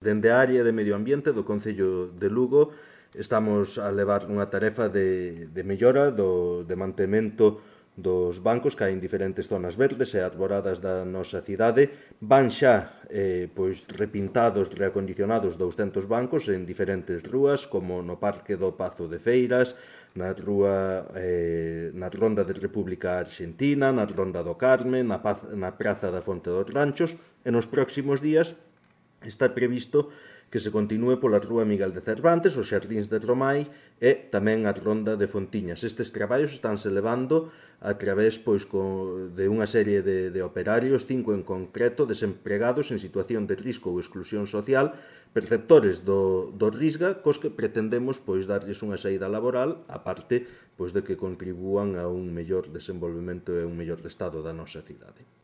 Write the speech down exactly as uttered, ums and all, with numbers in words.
Dende a área de Medio Ambiente do Concello de Lugo estamos a levar unha tarefa de, de mellora do, de mantemento dos bancos que hai en diferentes zonas verdes e arboradas da nosa cidade. Van xa eh, pois, repintados, reacondicionados douscentos bancos en diferentes rúas, como no Parque do Pazo de Feiras, na rúa eh, na Ronda de República Argentina, na Ronda do Carme, na, Paz, na Praza da Fonte dos Ranchos, e nos próximos días está previsto que se continúe pola Rúa Miguel de Cervantes, os Xardíns de Romai e tamén a Ronda de Fontiñas. Estes traballos estánse levando a través pois, de unha serie de, de operarios, cinco en concreto, desempregados en situación de risco ou exclusión social, perceptores do, do Risga, cos que pretendemos pois, darlles unha saída laboral, aparte pois, de que contribúan a un mellor desenvolvemento e un mellor estado da nosa cidade.